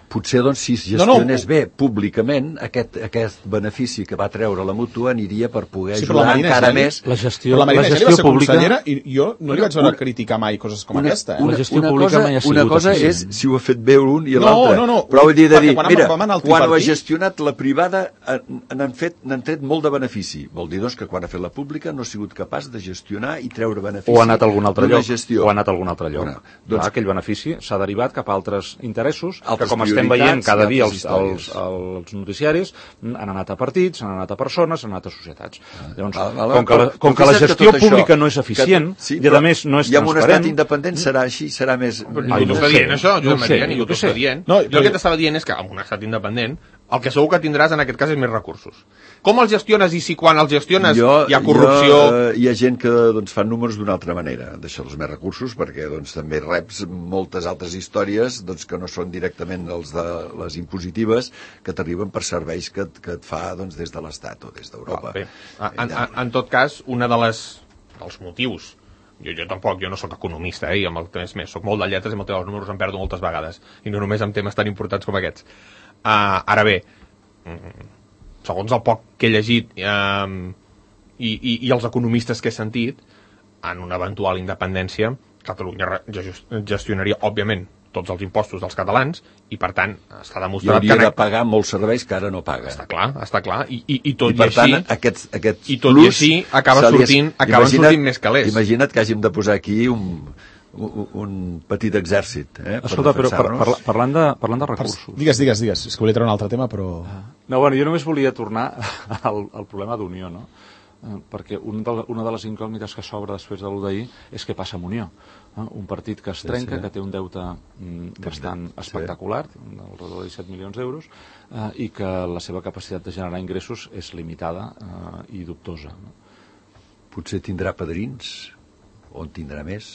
Potser, doncs, si es gestionés no, no. bé públicament, aquest, aquest benefici que va treure la Mútua aniria per poder sí, ajudar encara més... La gestió, però la Marina la gestió va ser pública... consellera i jo no li vaig veure una, criticar mai coses com una, aquesta. Eh? Una, la gestió una pública cosa, mai ha sigut una cosa és si ho ha fet bé un i l'altre. No, no, no. Però vull dir, de dir quan mira, quan ho ha partit... gestionat la privada n'han fet, n'han tret molt de benefici. Vol dir, doncs, que quan ha fet la pública no ha sigut capaç de gestionar i treure benefici. O ha anat a algun altre lloc. Gestió. O ha anat a algun altre lloc. Bueno, doncs, Clar, aquell benefici s'ha derivat cap a altres interessos, que com estem veient cada dia els, els, els noticiaris han anat a partits, han anat a persones, han anat a societats. Llavors, ah, vale, com que la, com que la gestió que pública això, no és eficient que, sí, i a més no és transparent... I amb un estat independent serà així, serà més... Ningú t'ho està dient, això, Josep Maria, ningú t'ho està dient. Jo el que t'estava dient és que amb un estat independent el que segur que tindràs en aquest cas és més recursos. Com els gestiones i si quan els gestiones jo, hi ha corrupció... Jo, hi ha gent que doncs, fan números d'una altra manera, deixar-los més recursos, perquè doncs, també reps moltes altres històries doncs, que no són directament els de les impositives, que t'arriben per serveis que, que et fa doncs, des de l'Estat o des d'Europa. Ah, en, en, en tot cas, una de les dels motius, jo, jo tampoc, jo no sóc economista, eh, i amb el temps més, soc molt de lletres i amb el tema dels números em perdo moltes vegades, i no només amb temes tan importants com aquests. Uh, ara bé, segons el poc que he llegit um, i, i, i els economistes que he sentit, en una eventual independència, Catalunya gestionaria, òbviament, tots els impostos dels catalans i, per tant, està I demostrat hauria que... de pagar molts serveis que ara no paga. Està clar, està clar. I, i, i tot I, per i així... tant, aquests, aquests I tot plus i així acaba se li es- sortint, acaben imagina't- sortint més calés. Imagina't que hàgim de posar aquí un, un, un petit exèrcit. Eh, per Escolta, però par, defensar-nos. parla, parlant, de, parlant de Per... recursos... Digues, digues, digues. És que volia treure un altre tema, però... No, bueno, jo només volia tornar al, al problema d'Unió, no? Eh, perquè un de, una de les incògnites que s'obre després de l'u d'ahir és què passa amb Unió. Eh? Un partit que es trenca, sí. que té un deute mm, bastant sí. espectacular, alrededor de disset milions d'euros, eh, i que la seva capacitat de generar ingressos és limitada eh, i dubtosa. No? Potser tindrà padrins, o en tindrà més.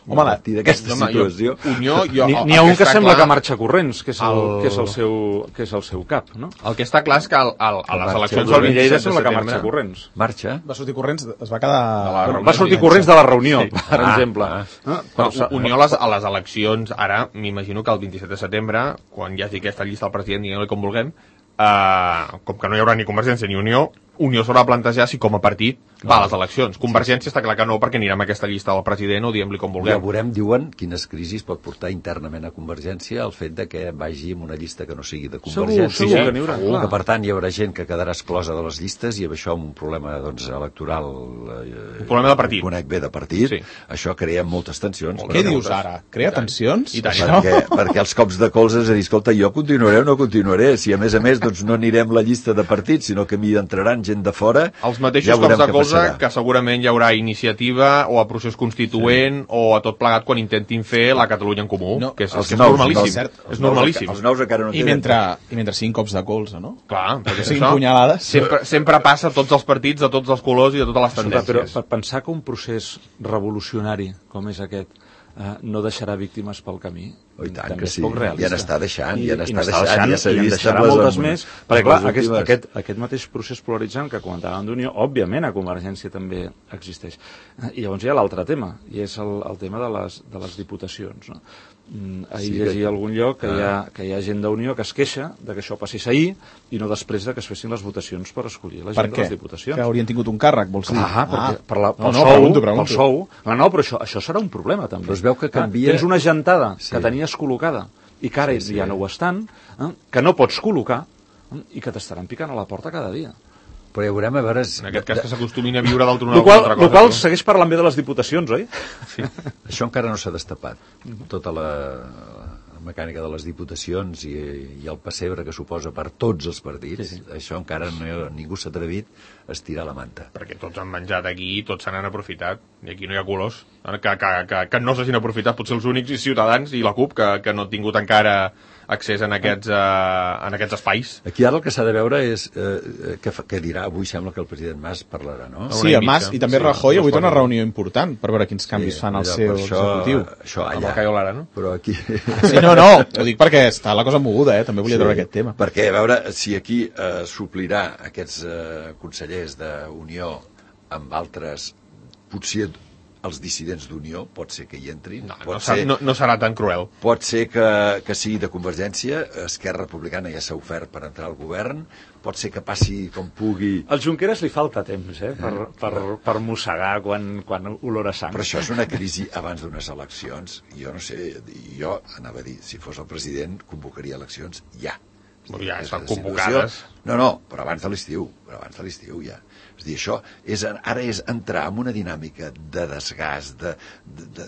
Home, a partir d'aquesta home, jo- situació... Unió, jo, N'hi el- n'hi ha el un que està sembla clar- que marxa corrents, que és el, el- que és el, seu, que és el seu cap, no? El que està clar és que al, al, a les marxa. eleccions El del Lleida vint-i-set de sembla que setembre... marxa corrents. Marxa? Va sortir corrents, es va quedar... la Bueno, reunió va sortir divendres. corrents de la reunió, Sí. per Ah, exemple. ah. Eh? Però Però, Unió a les, a les eleccions, ara m'imagino que el vint-i-set de setembre, quan hi hagi aquesta llista del president, diguem-li com vulguem, eh, com que no hi haurà ni Convergència ni Unió, Unió s'haurà de plantejar si com a partit va a les eleccions. Convergència està clar que no, perquè anirà amb aquesta llista del president o diguem-li com Ja vulguem. veurem, diuen, quines crisis pot portar internament a Convergència el fet de que vagi amb una llista que no sigui de Segur, Convergència. segur que n'hi haurà, Segur clar. que, per tant, hi haurà gent que quedarà exclosa de les llistes i amb això amb un problema doncs, electoral eh, Un problema de partit. ho conec bé de partit, Sí. això crea moltes tensions. Què dius ara? Crea tensions? I tant. Això? Perquè, perquè els cops de colze és a dir, escolta, jo continuaré o no continuaré, si a més a més doncs, no anirem la llista de partits, sinó que m'hi entraran gent de fora, Els mateixos ja cops veurem de què colze passarà. que segurament hi haurà iniciativa o a procés constituent sí. o a tot plegat quan intentin fer la Catalunya en comú, No, que és, els que és nous, normalíssim. els cert, és normalíssim. Els nous encara no I tenen. mentre, I mentre siguin cops de colze, no? Clar, perquè siguin això punyalades. sempre, sempre passa a tots els partits, de tots els colors i de totes les Escolta, però tendències. per pensar que un procés revolucionari com és aquest eh, no deixarà víctimes pel camí, Oh, i tant també que és sí. poc realista. Ja n'està deixant, I, ja n'està i n'està deixant, deixant, ja s'ha i en vist deixarà amb les- moltes amb- més, amb perquè clar, les aquest, últimes. aquest, aquest mateix procés polaritzant que comentàvem d'Unió, òbviament a Convergència també existeix. I llavors hi ha l'altre tema, i és el, el tema de les, de les diputacions. No? Mm, ahir Sí sí, que- llegia a algun lloc que, Ah. hi ha, que hi ha gent d'Unió que es queixa de que això passés ahir i no després de que es fessin les votacions per escollir la Per gent de què? les diputacions. Que haurien tingut un càrrec, vols dir? Clar, perquè per la, pel, no, no, sou, pregunto, pregunto. pel sou... No, no, però això, això serà un problema, també. Però es veu que Clar, canvia- Tens una gentada Sí. que tenies col·locada i que ara Sí, sí. ja no ho estan, eh, que no pots col·locar eh, i que t'estaran picant a la porta cada dia. Però ja veurem a veure... En aquest cas que s'acostumin a viure del El tribunal qual, altra lo cosa. qual tu. segueix parlant bé de les diputacions, oi? Sí. Això encara no s'ha destapat. Tota la, la mecànica de les diputacions i, i el pessebre que suposa per tots els partits, sí, sí. Això encara no, ningú s'ha atrevit a estirar la manta. Perquè tots han menjat aquí i tots se n'han aprofitat. I aquí no hi ha colors. Que, que, que, que no s'hagin aprofitat potser els únics i Ciutadans i la CUP, que, que no han tingut encara accés en aquests, uh, en aquests espais. Aquí ara el que s'ha de veure és eh, què, fa- què dirà. Avui sembla que el president Mas parlarà, no? Sí, Una el Mas mitja. i també Sí, Rajoy dos avui té una coses. reunió important per veure quins canvis Sí, fan al allò, seu per això, executiu. Això Amb allà. el Cayo Lara, no? Però aquí... Sí, no, no, ho dic perquè està la cosa moguda, eh? També volia treure aquest tema. Perquè, a veure, si aquí eh, suplirà aquests eh, consellers d'Unió amb altres, potser els dissidents d'Unió, pot ser que hi entrin, No, no, pot, ser... ser, no, no serà tan cruel. pot ser que, que sigui de Convergència, Esquerra Republicana ja s'ha ofert per entrar al govern, pot ser que passi com pugui... Al Junqueras li falta temps, eh, per, per, per mossegar quan, quan olora sang. Però això és una crisi abans d'unes eleccions. Jo no sé, jo anava a dir, si fos el president, convocaria eleccions ja. Bueno, ja És estan la convocades. situació- No, no, però abans de l'estiu, però abans de l'estiu ja. És a dir, això és, ara és entrar en una dinàmica de desgast, de, de, de,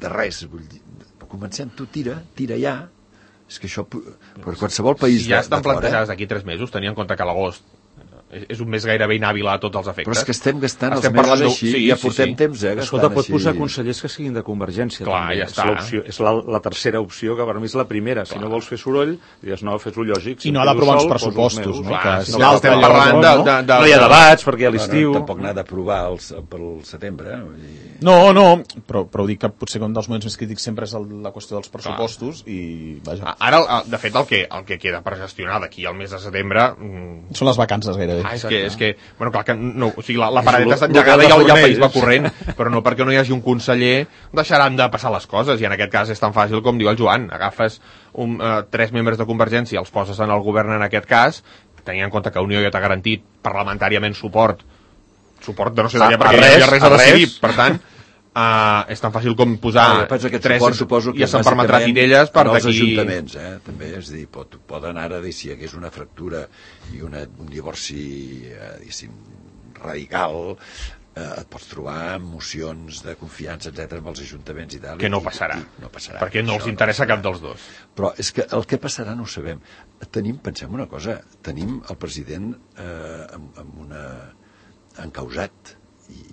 de res. Vull dir, comencem, tu tira, tira ja. És que això, per qualsevol país Si ja de, estan de fora... plantejades d'aquí tres mesos, tenint en compte que l'agost és, és un mes gairebé inhàbil a tots els efectes. Però és que estem gastant Estem els mesos parlant de- així, sí, ja sí, portem sí. temps, eh, gastant Escolta, pot així. posar consellers que siguin de Convergència. Clar, també. ja està. És, l'opció, és la, la tercera opció, que per mi és la primera. Si no vols fer soroll, digues, no, fes-ho lògic. Si I no em ha quedo d'aprovar uns sol, poso pressupostos, meus. no? Clar, Que si si no l'altre estem allò, parlant de, no? de, de, No hi ha debats, perquè a No, l'estiu... no, tampoc n'ha d'aprovar els- pel setembre. eh, vull dir... No, no, però, però ho dic que potser un dels moments més crítics sempre és el, la qüestió dels pressupostos i, vaja, Ara, el- de fet, el que, el que queda per gestionar d'aquí al mes de setembre... mm, són les vacances gairebé. Ah, és que, és que, bueno, clar que no, o sigui, la, la paradeta lo- està lo engegada que i el, i el fornells. país va corrent, però no perquè no hi hagi un conseller deixaran de passar les coses, i en aquest cas és tan fàcil com diu el Joan, agafes un, uh, tres membres de Convergència, els poses en el govern en aquest cas, tenint en compte que Unió ja t'ha garantit parlamentàriament suport, suport de no sé de A- què, a perquè res, no hi ha res a a res. decidir, per tant, Uh, és tan fàcil com posar ah, tres suport, suposo que ja se'n permetrà tinelles per als d'aquí... ajuntaments, eh? També, és dir, pot, poden ara dir si hi hagués una fractura i una, un divorci eh, diguéssim, radical, eh, et pots trobar mocions de confiança, etcètera, amb els ajuntaments i tal. Que no i, passarà, i, no passarà perquè no els interessa no cap dels dos. Però és que el que passarà no ho sabem. Tenim, pensem una cosa, tenim el president eh, amb, amb una encausat i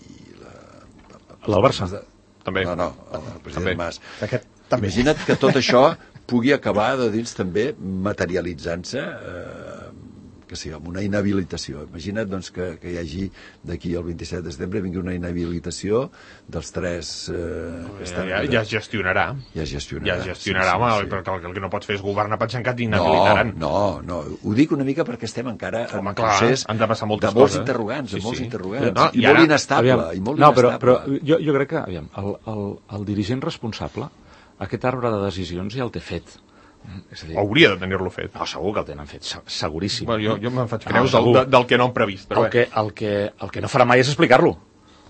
el Barça de... també. No, no, el, el president també. Mas. Aquest, també. Imagina't que tot això pugui acabar de dins també materialitzant-se eh, que sigui amb una inhabilitació. Imagina't doncs, que, que hi hagi d'aquí al vint-i-set de setembre vingui una inhabilitació dels tres eh, que estan... Ja, ja es gestionarà. Ja es gestionarà. Ja es gestionarà, sí, home, sí, sí. perquè el, el que no pots fer és governar pensant que t'inhabilitaran. No, no, no. Ho dic una mica perquè estem encara en Home, un clar, procés han de passar moltes de molts coses. interrogants, Sí, de molts sí. interrogants. No, I, i molt ara- inestable, Aviam, i molt no, però, inestable. però jo, jo crec que aviam, el, el, el dirigent responsable aquest arbre de decisions ja el té fet. És a dir, Hauria de tenir-lo fet. no, segur que el tenen fet, se- seguríssim. Bueno, jo, jo me'n faig No, creus del, segur. de, del que no hem previst. Però el, que, el, que, el que no farà mai és explicar-lo.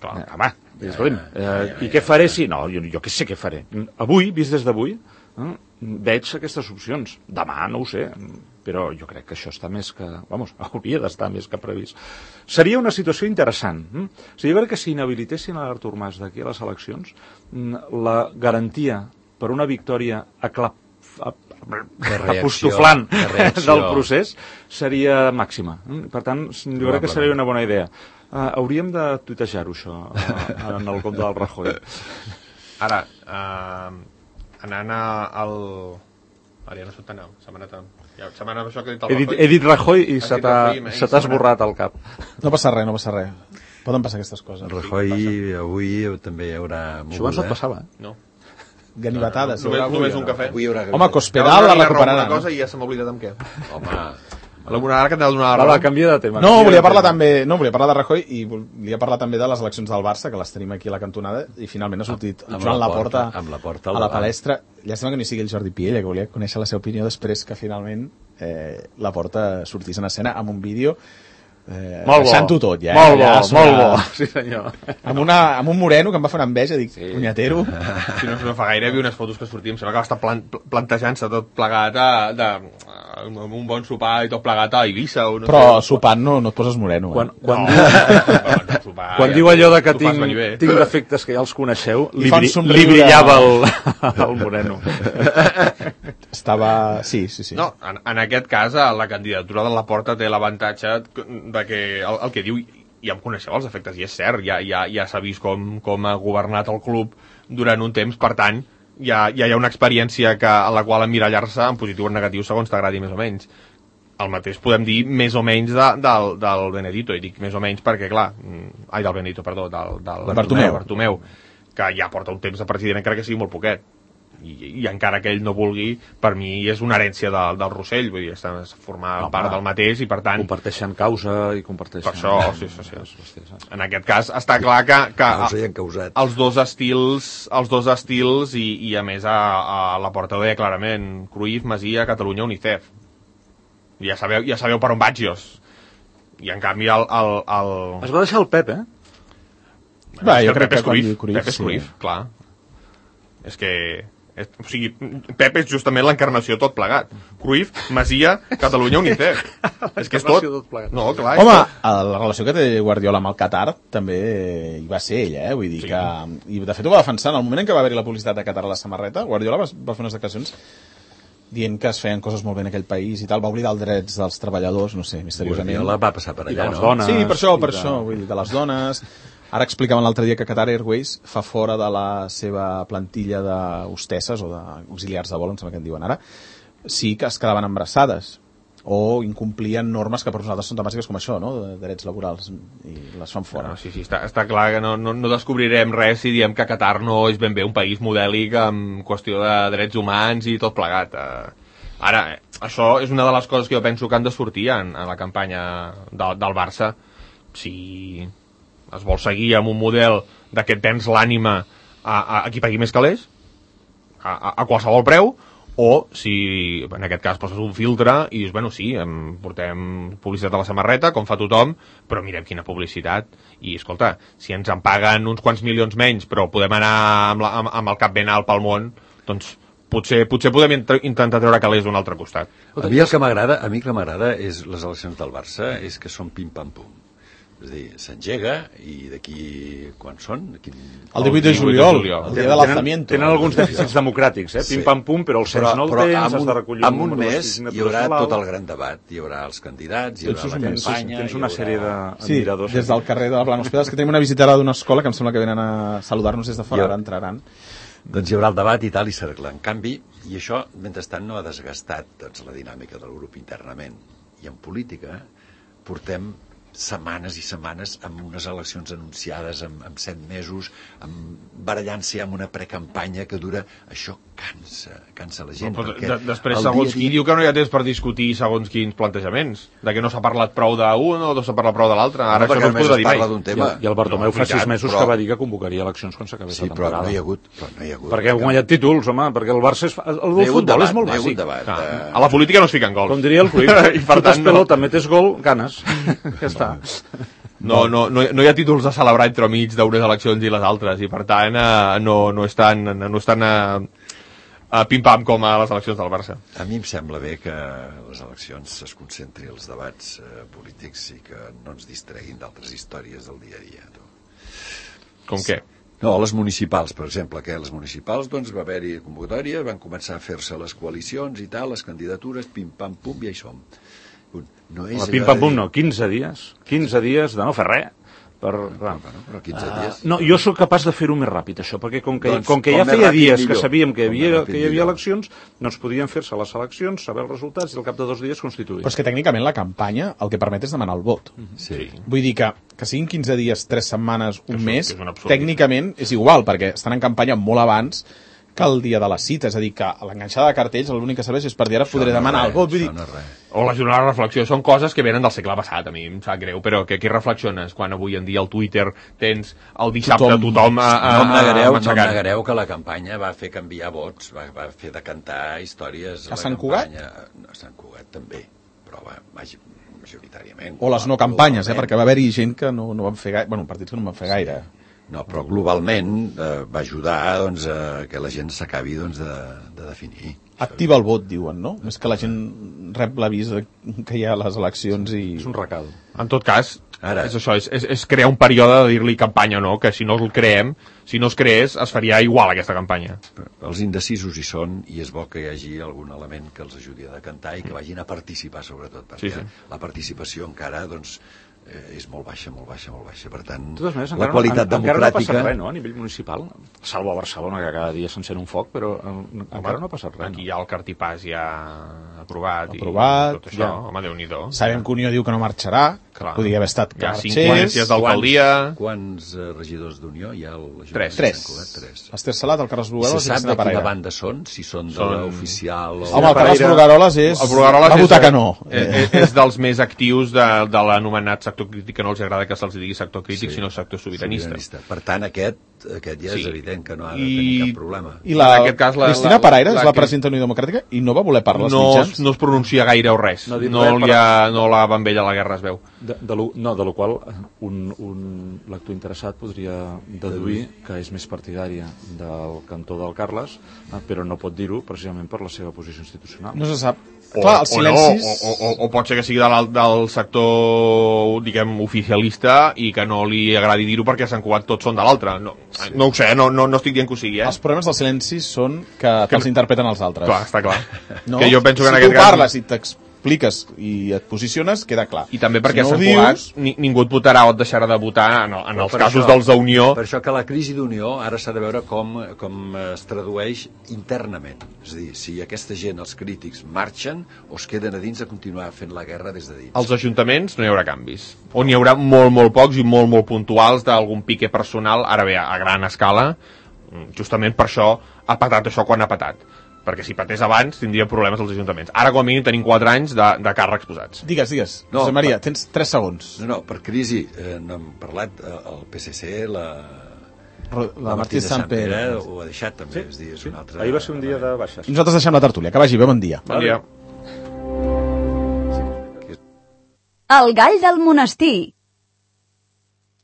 Clar. Eh, home, escolti'm, eh, i què faré si... No, jo, jo què sé què faré. Avui, vist des d'avui, eh, veig aquestes opcions. Demà no ho sé, però jo crec que això està més que... Vamos, hauria d'estar més que previst. Seria una situació interessant. Eh? O sigui, jo crec que si inhabilitessin a l'Artur Mas d'aquí a les eleccions, la garantia per una victòria aclap, reacció, apostoflant de reacció. del procés seria màxima. Per tant, jo crec que seria una bona idea. Uh, hauríem de tuitejar-ho, això, uh, en el compte del Rajoy. Ara, eh, anant a, al... Ara ja no sóc tan alt, se m'ha anat... a- Ja, se m'ha anat això que he dit el He dit, Rajoy. he dit Rajoy i Has se dit t'ha Rajoy, i se t'ha se m'ha esborrat al cap. No passa res, no passa res. Poden passar aquestes coses. El Rajoy avui també hi haurà Això abans no et passava, eh? No. Ganivetades. Només, avui, només o un no? cafè. Avui hi haurà... Home, Cospedal la recuperarà. Una cosa i ja se m'ha oblidat amb què. Home, Ara que t'ha de donar la Va, raó. va, canvia de tema. No, canvia volia de parlar tema. també, no, volia parlar de Rajoy i volia parlar també de les eleccions del Barça, que les tenim aquí a la cantonada, i finalment ha sortit Amb- amb Joan la Laporta, porta- amb la porta al a la davant. palestra. Llàstima que no hi sigui el Jordi Piella, que volia conèixer la seva opinió després que finalment eh, Laporta sortís en escena amb un vídeo eh, Molt bo. deixant-ho tot, ja. Molt bo, ja, sobre- molt bo. Sí, senyor. Amb, una, amb un moreno que em va fer una enveja, dic, Sí. punyatero. Si no, no fa gaire, hi havia unes fotos que sortíem, sembla que va estar plan, plantejant-se tot plegat a, de, amb un bon sopar i tot plegat a Eivissa. O no Però sé. sopant no, no et poses moreno. Eh? Quan, quan, No, diu, sopar, quan ja, diu allò de que t'ho fas tinc, venir bé. tinc defectes que ja els coneixeu, I li, fa un bri, somriure. li brillava el, el moreno. Estava... Sí, sí, sí. No, en, en aquest cas, eh, la candidatura de la Porta té l'avantatge de que el, el que diu, ja em coneixeu els efectes, i és cert, ja, ja, ja s'ha vist com, com ha governat el club durant un temps, per tant, ja, ja hi ha una experiència que, a la qual emmirallar-se en positiu o en negatiu segons t'agradi més o menys. El mateix podem dir més o menys de, del, del Benedito, i dic més o menys perquè, clar, mm, ai, del Benedito, perdó, del, del Bartomeu. Bartomeu, que ja porta un temps de president, encara que sigui molt poquet. I, i encara que ell no vulgui, per mi és una herència de, del Rossell, vull dir, està formar Home, part del mateix i per tant, Comparteixen causa i comparteixen... per això, sí, sí, sí. En aquest cas està clar que, que causa i encausat. els dos estils, els dos estils i, i a més a, a la Porta ho deia clarament, Cruyff, Masia, Catalunya, UNICEF. Ja sabeu, ja sabeu per on vaig jo. I en canvi el... el, el... Es va deixar el Pep, eh? Va, És jo que crec Pep que és quan Cruyff, diu Cruyff, Pep és sí. Cruyff, clar. És que... És, o sigui, Pep és justament l'encarnació tot plegat. Cruyff, Masia, Catalunya, UNICEF. És que és tot. L'encarnació tot plegat. No, clar, és Home, tot. la relació que té Guardiola amb el Qatar també hi va ser ell, eh? Vull dir Sí. que... I de fet ho va defensar. En el moment en què va haver-hi la publicitat de Qatar a la samarreta, Guardiola va, va fer unes declaracions dient que es feien coses molt bé en aquell país i tal, va oblidar els drets dels treballadors, no sé, misteriosament. Guardiola va passar per I de allà, les no? dones. Sí, per això, i per de- això, vull dir, de les dones. Ara explicaven l'altre dia que Qatar Airways fa fora de la seva plantilla d'hostesses o d'auxiliars de vol, em sembla que en diuen ara, sí que es quedaven embarassades o incomplien normes que per nosaltres són tan bàsiques com això, no?, de drets laborals, i les fan fora. No, sí, sí, està, està clar que no, no, no descobrirem res si diem que Qatar no és ben bé un país modèlic en qüestió de drets humans i tot plegat. Eh, ara, eh, això és una de les coses que jo penso que han de sortir en, en la campanya del, del Barça. Si es vol seguir amb un model de que et vens l'ànima a, a, a qui pagui més calés, a, a, a qualsevol preu, o si en aquest cas poses un filtre i dius, bueno, sí, em portem publicitat a la samarreta, com fa tothom, però mirem quina publicitat. I, escolta, si ens en paguen uns quants milions menys, però podem anar amb, la, amb, amb el cap ben alt pel món, doncs potser, potser podem intentar treure calés d'un altre costat. A mi el que m'agrada, a mi el que m'agrada és les eleccions del Barça, és que són pim-pam-pum. És a dir, s'engega i d'aquí quan són? Quin... El divuit de juliol, el dia de l'alzamiento. Tenen alguns dèficits democràtics, eh? Pim-pam-pum, però el cens no el tens, has de recollir... En un mes hi haurà tot el gran debat, hi haurà els candidats, hi haurà la campanya... Tens una sèrie Sí, d'admiradors. des del carrer de Blanospedes, que tenim una visita ara d'una escola que em sembla que venen a saludar-nos des de fora, ara entraran. Doncs hi haurà el debat i tal, i s'arregla. En canvi, i això, mentrestant, no ha desgastat doncs, la dinàmica del grup internament. I en política portem setmanes i setmanes amb unes eleccions anunciades amb, amb set mesos, amb barallant-se amb una precampanya que dura... Això cansa, cansa la gent. No, perquè de, després, segons qui diu que no hi ha temps per discutir segons quins plantejaments, de que no s'ha parlat prou d'un o no s'ha parlat prou de l'altre. Ara no, això no es podrà dir mai. Tema. I, I el Bartomeu no, fa sis mesos però... que va dir que convocaria eleccions quan s'acabés sí, la temporada. Sí, però no hi ha hagut... Però no hi ha hagut perquè ha guanyat títols, home, perquè el Barça és... El del no futbol debat, és molt no bàsic. Debat, ah, de... A la política no es fiquen gols. Com diria el Cruyff, I per tant, pelota, no. Metes gol, ganes. Ja està. No, no, no, no hi ha títols a celebrar entre mig d'unes eleccions i les altres, i per tant eh, no, no és tan, no és tan eh, eh, pim-pam com a les eleccions del Barça. A mi em sembla bé que les eleccions es concentri als debats eh, polítics i que no ens distreguin d'altres històries del dia a dia. Tu. Com què? No, les municipals, per exemple, que les municipals doncs va haver-hi convocatòria, van començar a fer-se les coalicions i tal, les candidatures, pim-pam-pum, i ja hi som. No és pim-pam-pum no, quinze dies. quinze dies de no fer res. Per... No, no, però quinze dies. Uh, no, jo sóc capaç de fer-ho més ràpid, això, perquè com que, doncs, com que com ja feia dies millor. Que sabíem que hi havia, que hi havia eleccions, doncs podien fer-se les eleccions, saber els resultats i al cap de dos dies constituir. Però és que tècnicament la campanya el que permet és demanar el vot. Sí. Vull dir que, que siguin quinze dies, tres setmanes, un és mes, un, és tècnicament és igual, perquè estan en campanya molt abans que el dia de la cita, és a dir, que l'enganxada de cartells l'únic que serveix és per dir ara podré no demanar res, el vot. Vull dir... no res. O la jornada de reflexió, són coses que venen del segle passat, a mi em sap greu, però que aquí reflexiones quan avui en dia al Twitter tens el dissabte tothom, tothom a, a, no em negareu, a no em negareu que la campanya va fer canviar vots, va, va fer decantar històries a, a Sant Cugat? No, a Sant Cugat també, però va, majoritàriament. O les no campanyes, eh, perquè va haver-hi gent que no, no van fer gaire, bueno, partits que no van fer gaire. No, però globalment eh, va ajudar doncs, a que la gent s'acabi doncs, de, de definir. Activa el vot, diuen, no? Més que la gent rep l'avís que hi ha a les eleccions i... És un recal. En tot cas, Ara. és això, és, és, és crear un període de dir-li campanya o no, que si no el creem, si no es creés, es faria igual aquesta campanya. Els indecisos hi són i és bo que hi hagi algun element que els ajudi a decantar i que vagin a participar, sobretot, perquè sí, sí. la participació encara doncs, eh, és molt baixa, molt baixa, molt baixa. Per tant, maneres, la qualitat no, democràtica... Encara no ha passat res, no?, a nivell municipal, salvo a Barcelona, que cada dia s'encén un foc, però home, encara no ha passat res. Aquí no? Hi ha el cartipàs ja aprovat, aprovat i tot això, ja. Home, Déu-n'hi-do. Sabem que Unió diu que no marxarà, clar. Podria haver estat que hi ha marxés. cinc ponències d'alcaldia. Quants, quants uh, regidors d'Unió hi ha? Tres. Tres. Tres. Esther Salat, el Carles Brugueroles i, i Cristina Parera. Se sap de quina banda són? Si són de són... l'oficial o... Home, el Carles Brugueroles és... El Brugueroles va votar és, que no. És, és dels més actius de, de l'anomenat sector crític, que no els agrada que se'ls digui sector crític, sí. sinó sector sobiranista. sobiranista. Per tant, aquest, aquest ja sí. és evident que no ha de I, tenir cap problema. I la, en aquest cas, la, Cristina la, Parera la, és la presidenta d'Unió Democràtica i no va voler parlar als no, mitjans. No es pronuncia gaire o res. No, no, res, li ha, no la va amb ella a la guerra, es veu. De, de lo, no, de la qual un, un lector interessat podria deduir que és més partidària del cantó del Carles, però no pot dir-ho precisament per la seva posició institucional. No se sap. O, Clar, els silencis... o, no, o, o, o pot ser que sigui del, del sector, diguem, oficialista i que no li agradi dir-ho perquè a Sant Cugat tots són de l'altre. No, sí. no ho sé, no, no, no estic dient que ho sigui, eh? Els problemes dels silencis són que, que els interpreten els altres. Clar, està clar. No? Que jo penso que si en aquest tu cas... parles i t'expliques i et posiciones, queda clar. I també perquè si no a Sant Cugat ni, ningú et votarà o et deixarà de votar en, en els casos això, dels d'Unió. Per això que la crisi d'Unió ara s'ha de veure com, com es tradueix internament. És a dir, si aquesta gent, els crítics, marxen o es queden a dins a continuar fent la guerra des de dins. Als ajuntaments no hi haurà canvis. O n'hi haurà molt, molt pocs i molt, molt puntuals d'algun pique personal, ara bé, a gran escala. Justament per això ha patat això quan ha patat. Perquè si patés abans tindria problemes als ajuntaments. Ara com a mínim tenim quatre anys de, de càrrecs posats. Digues, digues. No, Josep Maria, per... tens tres segons. No, no, per crisi, eh, no hem parlat, eh, el P S C, la, la Martí de Sant Pere. Ho ha deixat també, és dir, és Sí, un altre... ahir va ser un dia de baixes. I nosaltres deixem la tertúlia. Que vagi bé, bon dia. Bon dia. El gall del monestir,